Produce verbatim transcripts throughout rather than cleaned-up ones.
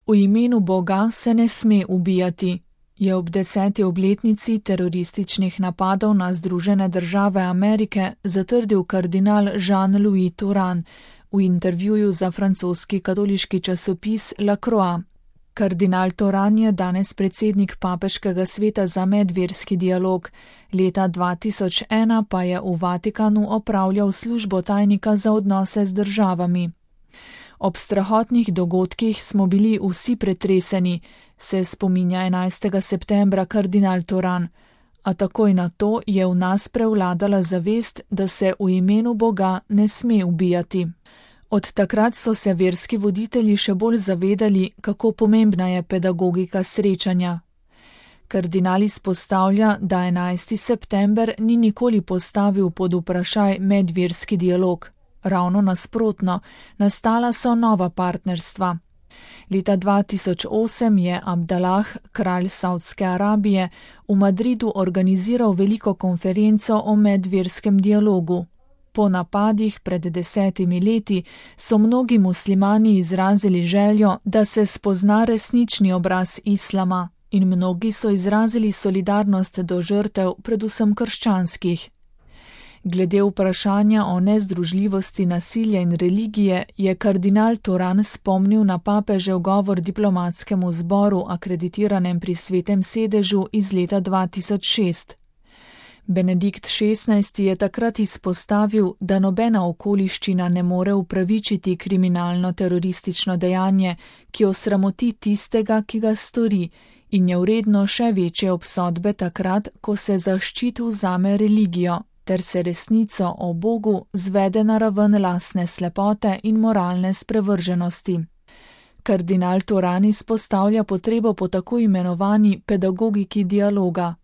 V imenu Boga se ne sme ubijati, je ob deseti obletnici terorističnih napadov na Združene države Amerike zatrdil kardinal Jean-Louis Turhan v intervjuju za francoski katoliški časopis La Croix. Kardinal Turhan je danes predsednik Papeškega sveta za medverski dialog, leta dva tisoč ena pa je v Vatikanu opravljal službo tajnika za odnose z državami. Ob strahotnih dogodkih smo bili vsi pretreseni, se spominja enajstega septembra kardinal Turhan, a takoj na to je v nas prevladala zavest, da se v imenu Boga ne sme ubijati. Od takrat so se verski voditelji še bolj zavedali, kako pomembna je pedagogika srečanja. Kardinal izpostavlja, da enajsti september ni nikoli postavil pod vprašaj medverski dialog. Ravno nasprotno, nastala so nova partnerstva. Leta dva tisoč osem je Abdalah, kralj Saudske Arabije, v Madridu organiziral veliko konferenco o medverskem dialogu. Po napadih pred desetimi leti so mnogi muslimani izrazili željo, da se spozna resnični obraz islama, in mnogi so izrazili solidarnost do žrtev, predvsem krščanskih. Glede vprašanja o nezdružljivosti nasilja in religije je kardinal Turhan spomnil na papežev govor diplomatskemu zboru, akreditiranem pri Svetem sedežu iz leta dva tisoč šest. Benedikt šestnajsti je takrat izpostavil, da nobena okoliščina ne more upravičiti kriminalno teroristično dejanje, ki osramoti tistega, ki ga stori, in je vredno še večje obsodbe takrat, ko se za ščit vzame religijo, ter se resnico o Bogu zvede na raven lastne slepote in moralne sprevrženosti. Kardinal Turhan izpostavlja potrebo po tako imenovani pedagogiki dialoga.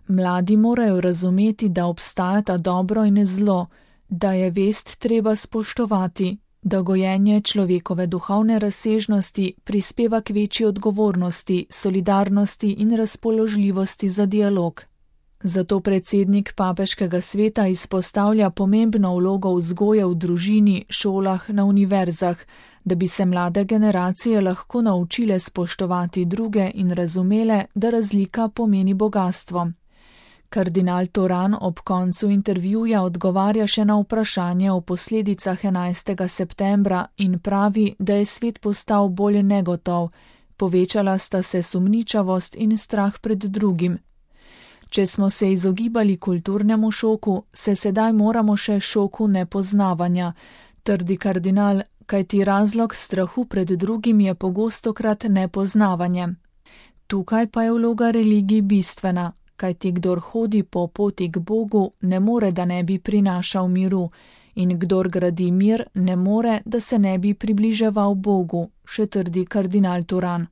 Mladi morajo razumeti, da obstajata dobro in zlo, da je vest treba spoštovati, da gojenje človekove duhovne razsežnosti prispeva k večji odgovornosti, solidarnosti in razpoložljivosti za dialog. Zato predsednik Papeškega sveta izpostavlja pomembno vlogo vzgoje v družini, šolah, na univerzah, da bi se mlade generacije lahko naučile spoštovati druge in razumele, da razlika pomeni bogastvo. Kardinal Turhan ob koncu intervjuja odgovarja še na vprašanje o posledicah enajstega septembra in pravi, da je svet postal bolj negotov, povečala sta se sumničavost in strah pred drugim. Če smo se izogibali kulturnemu šoku, se sedaj moramo še šoku nepoznavanja, trdi kardinal, kajti razlog strahu pred drugim je pogostokrat nepoznavanje. Tukaj pa je vloga religij bistvena, kajti kdor hodi po poti k Bogu, ne more, da ne bi prinašal miru, in kdor gradi mir, ne more, da se ne bi približeval Bogu, še trdi kardinal Turhan.